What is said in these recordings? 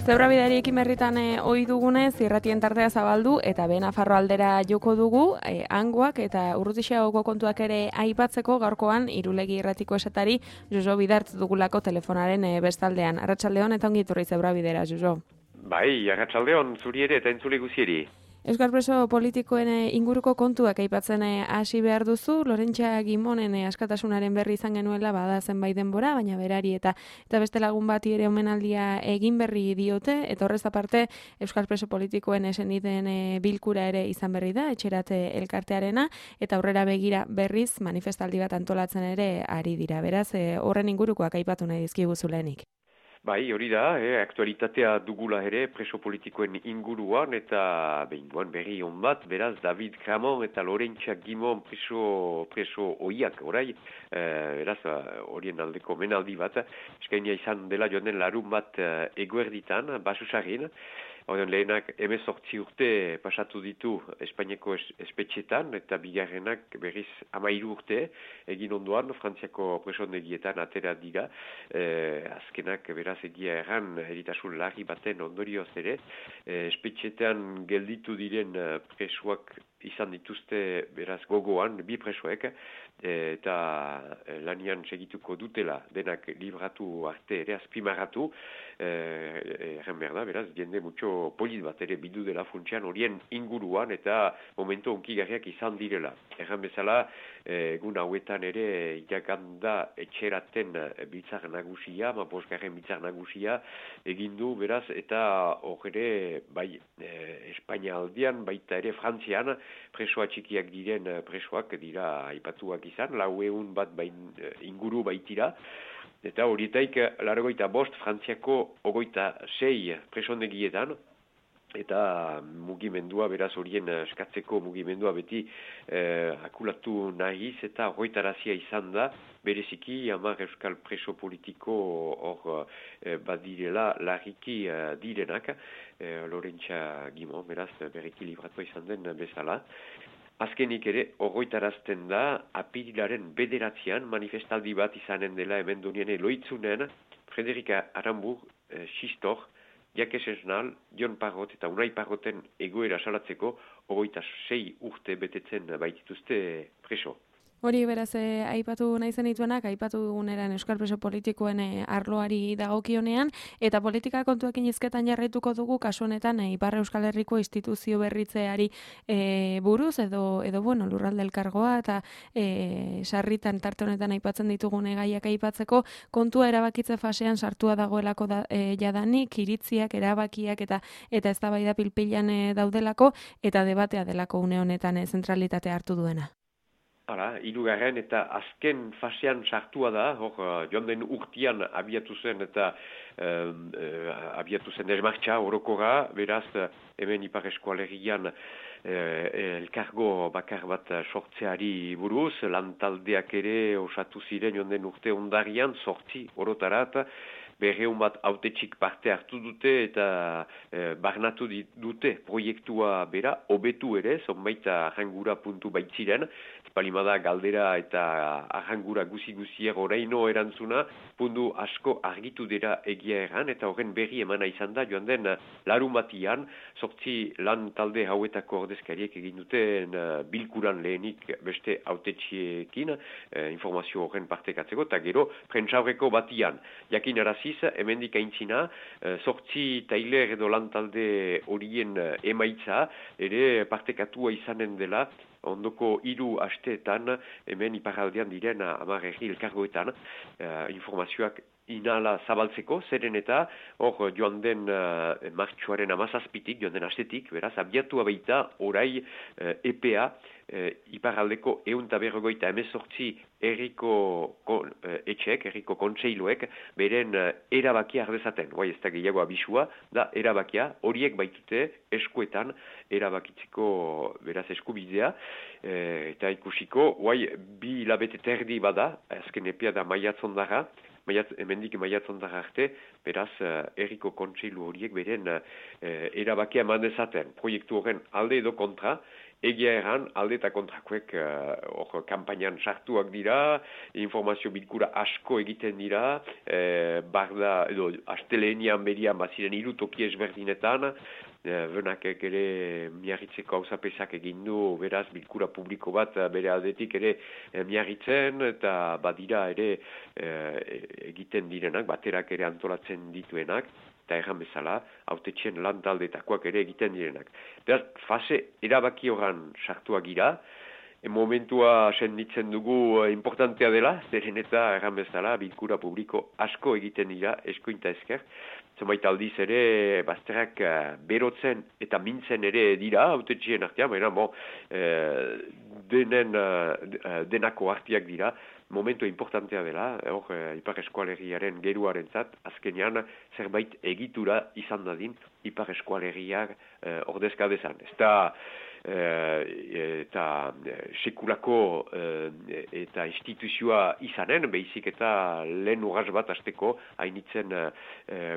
Zebrabideari berritan ohi dugunez, irratien tartea zabaldu eta Nafarro aldera joko dugu, hangoak eta Urrutixagoko kontuak ere aipatzeko gaurkoan Irulegi irratiko esatari Jojo Bidartz dugulako telefonaren bestaldean. Arratsaldeon eta ongi etorri Zebrabidera, Jojo. Bai, arratsaldeon zuri ere eta entzule guzieri. Euskal preso politikoen inguruko kontuak aipatzen hasi behar duzu, Lorentxa Gimonen askatasunaren berri izan genuela bada zenbait denbora, baina berari eta beste lagun bati ere omenaldia egin berri diote, eta horrez aparte Euskal preso politikoen eseniden bilkura ere izan berri da, etxerate elkartearena, eta aurrera begira berriz manifestaldi bat antolatzen ere ari dira. Beraz, horren ingurukoak aipatu nahi dizkiguzu lehenik. Bai, hori da, aktualitatea dugula ere preso politikoen inguruan eta behingoan berri hon bat, beraz David Kramon eta Lorentxa Gimon preso oiak orai, beraz horien aldeko menaldi bat, eskainia izan dela joan den larun bat eguerditan, Basusarrin. Horren lehenak 18 urte pasatu ditu Espainiako espetxetan eta bigarrenak berriz 13 urte egin ondoan Frantziako presondegietan atera dira. Azkenak beraz egia erran eritasun larri baten ondorioz ere. Espetxetan gelditu diren presoak izan dituzte beraz gogoan, bi presoek, eta lanian segituko dutela denak libratu arte ere azpimarratu, erren behar da, beraz, jende mutxo polit bat ere bildu dela funtsean horien inguruan eta momento onkigarriak izan direla. Erren bezala, egun hauetan ere irakanda etxeraten biltzar nagusia, bosgarren biltzar nagusia egindu, beraz, eta hor ere, bai, Espainia aldian, baita ere Frantzian, presoa txikiak diren presoak dira aipatuak izan, 400 bat inguru baitira, eta horietaik 85 Frantziako 26 presondegietan, eta mugimendua, beraz horien eskatzeko mugimendua beti akulatu nahiz eta horretarazia izan da, bereziki 10 euskal preso politiko hor badirela larriki direnak, Lorentxa Gimon, beraz berriki libratua izan den bezala. Azkenik ere, horretarazten da, apirilaren 9 manifestaldi bat izanen dela hemen donien loitzunen, Frederika Arambur, Xistor, Jakes Esnal, Jon Parrot eta Unai Parroten egoera salatzeko 26 urte betetzen baitituzte preso. Hori beraz aipatu nahi zenituenak, aipatu duguneran Euskal preso politikoen arloari dagokionean, eta politika kontuekin hizketan jarraituko dugu kasu honetan Ipar Euskal Herriko instituzio berritzeari buruz, edo bueno, lurralde elkargoa, eta sarritan tarte honetan aipatzen ditugun gaiak aipatzeko, kontua erabakitze fasean sartua dagoelako jadanik, iritziak, erabakiak, eta eztabaida pilpilan daudelako, eta debatea delako une honetan zentralitatea hartu duena. Hala, 3. eta azken fasean sartua da, hor joan den urtian abiatu zen eta abiatu zen desmartxa orokorra, beraz hemen Ipar Eskualerian elkargo bakar bat sortzeari buruz, lantaldeak ere osatu ziren joan den urte ondarian, 8 orotarat, 200 bat autetxik parte hartu dute eta barnatu dute proiektua bera, hobetu ere, zonbait arrangura puntu baitziren, palimada galdera eta arrangura guzi-guzier oraino erantzuna, puntu asko argitu dira egia erran, eta horren berri emana izan da, joan den larun batian, 8 lan talde hauetako ordezkariek egin duten bilkuran lehenik beste autetxiekin, informazio horren partekatzeko, eta gero prentsaurreko batian, jakin araziz, hemendik aintzina, 8 tailer edo lan talde horien emaitza, ere partekatua izanen dela, ondoko 3 asteetan, hemen iparraldean diren 10 herri elkargoetan, informazioak inala zabaltzeko, zeren eta hor joan den martxoaren 17-tik, joan den astetik, beraz, abiatua baita orai EPA, iparraldeko 158 herriko etxek, herriko kontseiluek, beren erabakia ardezaten. Bai, ez da gehiago abisua, da erabakia, horiek baitute eskuetan erabakitzeko beraz eskubidea, eta ikusiko, bai, 2 hilabete terdi bada, azken epea da maiatzondara, hemendik maiatzondara arte, beraz, herriko kontseilu horiek beren erabakia eman dezaten. Proiektu horren alde edo kontra, egia erran, alde eta kontrakoek kampainan sartuak dira, informazio bilkura asko egiten dira, barda, edo, astelenian berian baziren 3 toki ezberdinetan, benakek ere miarritzeko hauzapesak egin du, beraz, bilkura publiko bat bere aldetik ere miarritzen, eta badira ere egiten direnak, baterak ere antolatzen dituenak, eta erran bezala, hautetxen lan taldetakoak ere egiten direnak. Beraz, fase erabaki horan sartuak gira, momentua senditzen dugu importantea dela, zeren eta erran bezala, bilkura publiko asko egiten dira, eskuinta esker, zenbait aldiz ere, bazterrak berotzen eta mintzen ere dira, hautetxien artean, baina denako artiak dira, momentu importantea dela, Ipar Eskualeriaren geruarentzat, azkenean zerbait egitura izan dadin Ipar Eskualeriak ordezka dezan. Ez da, eta sekulako eta instituzioa izanen, behizik eta lehen urras bat azteko hainitzen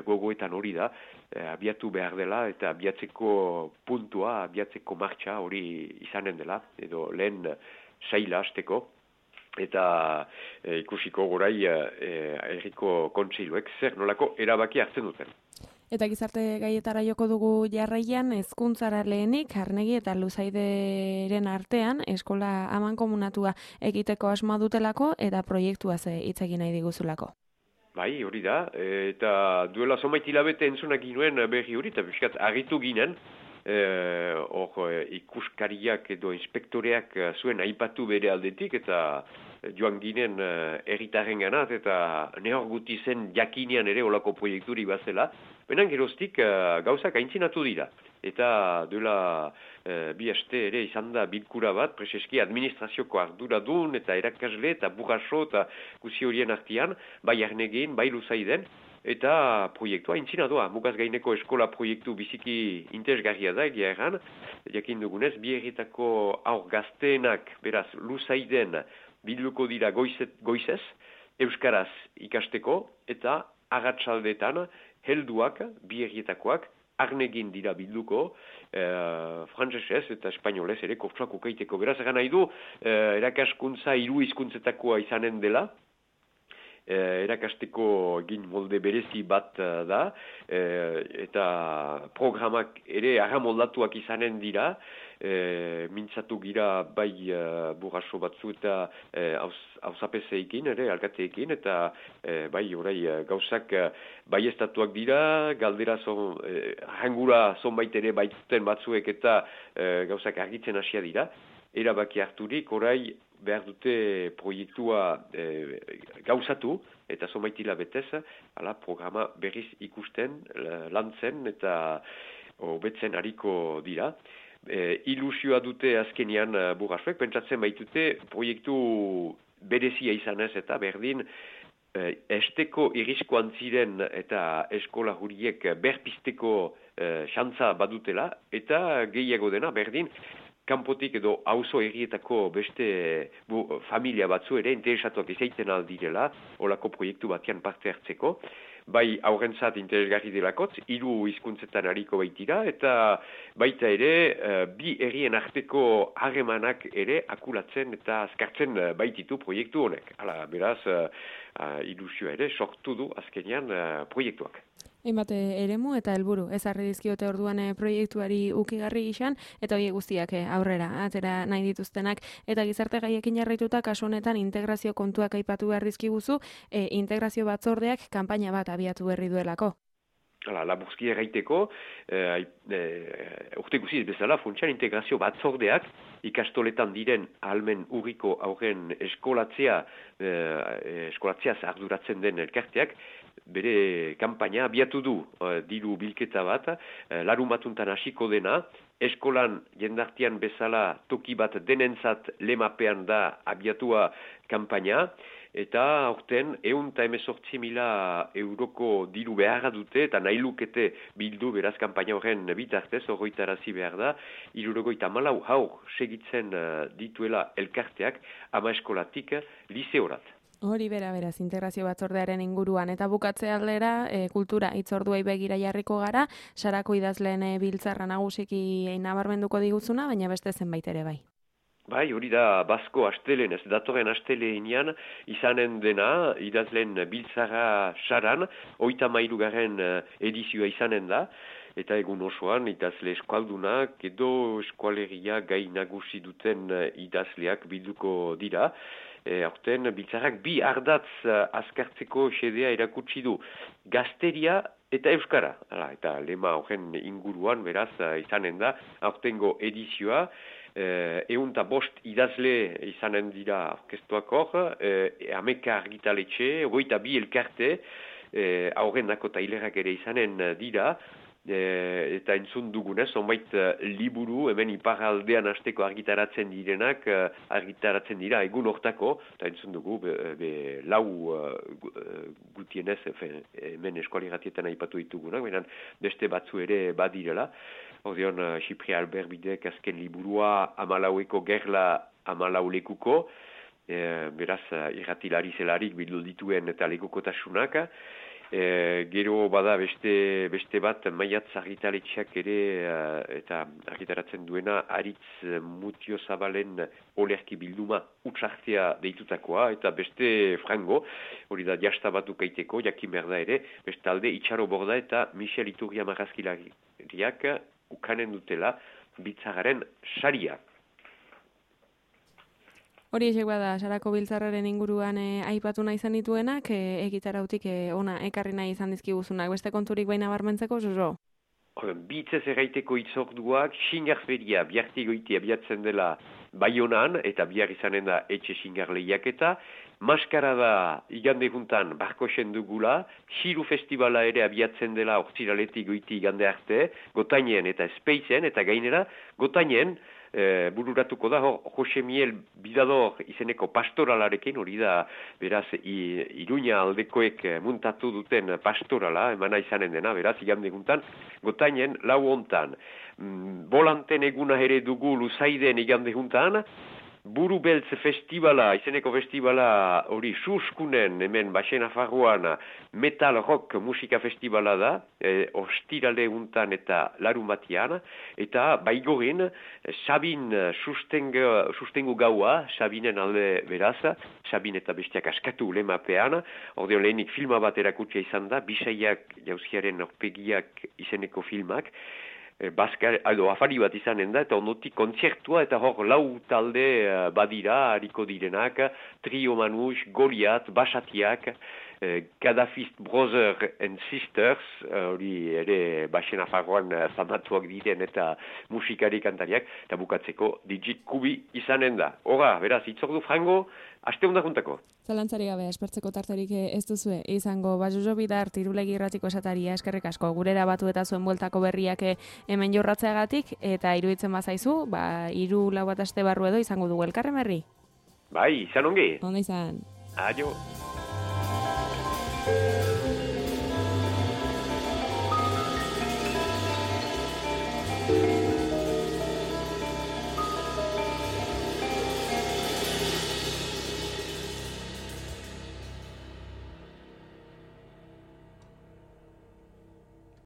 gogoetan hori da, abiatu behar dela eta abiatzeko puntua, abiatzeko martxa hori izanen dela, edo lehen saila azteko. Eta ikusiko gorai herriko kontseiluek zer nolako erabaki hartzen duten. Eta gizarte gaietara joko dugu jarraian, hezkuntzara lehenik, Arnegi eta Luzaideren artean, eskola amankomunatua egiteko asmoa dutelako eta proiektuaz hitz egin nahi diguzulako. Bai, hori da, eta duela zonbait hilabete entzunak ginuen berri hori, eta biskat argitu ginen, ikuskariak edo inspektoreak zuen aipatu bere aldetik, eta joan ginen herritarren ganat, eta nehor guti zen jakinean ere olako proiekturi bazela, benan geroztik gauzak aintzinatu dira. Eta duela bi aste ere izan da bilkura bat, preseski administrazioko arduradun eta erakasle eta burraso eta guzi horien artian, bai Arnegin, bai Luzaiden, eta proiektua aintzina doa. Mugaz gaineko eskola proiektu biziki interesgarria da, egia erran, jakin dugunez, bi herritako aur gazteenak, beraz, Luzaiden bilduko dira goizez, euskaraz ikasteko, eta agatsaldetan helduak, bi herrietakoak, Arnegin dira bilduko, frantsesez eta espainolez ere kurtsuak ukaiteko. Beraz, egan nahi du, erakaskuntza 3 hizkuntzetakoa izanen dela, erakasteko egin molde berezi bat da, eta programak ere arramoldatuak izanen dira, mintzatu gira bai burraso batzu eta hauzapezeekin, alkateekin, eta bai orai gauzak bai estatuak dira, galdera hangura zonbait ere baituten batzuek eta gauzak argitzen hasia dira, erabaki harturik orai behar dute proiektua gauzatu, eta zonbait hilabetez, ala programa berriz ikusten, lantzen eta hobetzen hariko dira. Ilusioa dute azkenian burrasuek, pentsatzen baitute proiektu berezia izanez eta berdin esteko irriskoan ziren eta eskola huriek berpisteko xantza badutela, eta gehiago dena berdin kanpotik edo auzo herrietako beste familia batzu ere interesatuak izaiten aldirela, olako proiektu batean parte hartzeko. Bai aurrentzat interesgarri delakotz, 3 hizkuntzetan hariko baitira, eta baita ere bi herrien arteko harremanak ere akulatzen eta azkartzen baititu proiektu honek. Hala, beraz, ilusioa ere sortu du azkenean proiektuak. Hainbat eremu eta helburu ezarri dizkiote orduan proiektuari ukigarri izan, eta horiek guztiak aurrera atera nahi dituztenak, eta gizarte gaiekin jarraituta kasu honetan integrazio kontuak aipatu behar dizkiguzu, integrazio batzordeak kanpaina bat abiatu berri duelako. Laburzki erraiteko, urte guziz bezala, funtsan integrazio batzordeak ikastoletan diren ahalmen urriko aurren eskolatzeaz arduratzen den elkarteak, bere kanpaina abiatu du diru bilketa bat, larumatuntan hasiko dena, eskolan jendartian bezala toki bat denentzat lemapean da abiatua kanpaina, eta aurten 118.000 euroko diru beharra dute, eta nahi lukete bildu beraz kanpaina horren bitartez, horretarazi behar da, 74 haur segitzen dituela elkarteak ama eskolatik liseorat. Hori beraz, integrazio batzordearen inguruan eta bukatze aldera, kultura hitzorduei begira jarriko gara, Sarako idazleen biltzarra nagusiki nabarmenduko diguzuna, baina beste zenbait ere bai. Bai, hori da Basko astelen, ez datorren astelenean izanen dena, idazleen biltzarra Saran, 33. edizioa izanen da, eta egun osoan idazle eskualdunak edo eskualeria gai nagusi duten idazleak bilduko dira. Aurten biltzarrak bi ardatz azkartzeko xedea erakutsi du, gazteria eta euskara. Eta lema horren inguruan beraz izanen da, aurtengo edizioa, 105 idazle izanen dira orkestuak hor, 11 argitaletxe, 22 elkarte, aurrenako tailerak ere izanen dira, eta entzun dugunez, zonbait liburu, hemen iparraldean hasteko argitaratzen direnak, argitaratzen dira egun hortako, eta entzun dugu, lau gutienez, hemen eskualigratietan aipatu ditugunak, beran beste batzu ere badirela. Ordeon, Xipri Albert Bidek azken liburua 14eko gerla 14 lekuko, beraz, irratilari zelarik bildu dituen eta lekukotasunak. Gero bada beste bat maiatz argitaletxeak ere eta argitaratzen duena Aritz Mutio Zabalen olerki bilduma utzartea deitutakoa eta beste frango, hori da jasta batu kaiteko, jakin behar da ere, beste alde Itxaro Borda eta Michel Iturria marrazkilariak ukanen dutela biltzarraren saria. Hori esek bada, Sarako biltzarraren inguruan aipatu nahi izan dituenak, egitarautik ona ekarri nahi izan dizkiguzunak. Beste konturik baina barmentzeko, Jojo? Bitzez erraiteko itzorduak, xingarferia bihartigoiti abiatzen dela Baionan, eta bihar izanen da etxe xingar lehiaketa. Maskarada igande juntan Barkosen dugula, Xiru Festivala ere abiatzen dela ortziraletik goiti igande arte, Gotainen eta Espeizen, eta gainera Gotainen, bururatuko da, Jose Miel Bidador izeneko pastoralarekin, hori da, beraz, Iruña aldekoek muntatu duten pastorala, emana izanen dena, beraz, igande guntan, Gotainen, lau hontan, Bolanten eguna ere dugu Luzaiden igande juntan, Buru Beltz Festivala, izeneko festivala hori suskunen, hemen Baxen Afarroan Metal Rock Musika Festivala da, ostirale untan eta larun batian, eta baigorin Sabin sustengu gaua, Sabinen alde beraz, Sabin eta bestiak askatu lemapean, ordeon lehenik filma bat erakutsia izan da, Bisaiak jauziaren orpegiak izeneko filmak, afari bat izanen da, eta ondotik kontzertua, eta hor lau talde badira, hariko direnak, Trio Manus, Goliat, Basatiak, Gaddafist Brother and Sisters, hori ere Baxen Afarroan zamatuak diren eta musikari kantariak, eta bukatzeko Digit Kubi izanen da. Hora, beraz, itzordu frango, aste honda juntako. Zalantzari gabe, espertzeko tarterik ez duzue, izango, Jojo Bidart, Irulegi irratiko esataria, eskerrik asko, gurera batu eta zuen bueltako berriak hemen jorratzeagatik, eta iruditzen bazaizu, 3-4 aste barru edo izango dugu elkarren berri. Bai, izan ongi. Onda izan. Adio.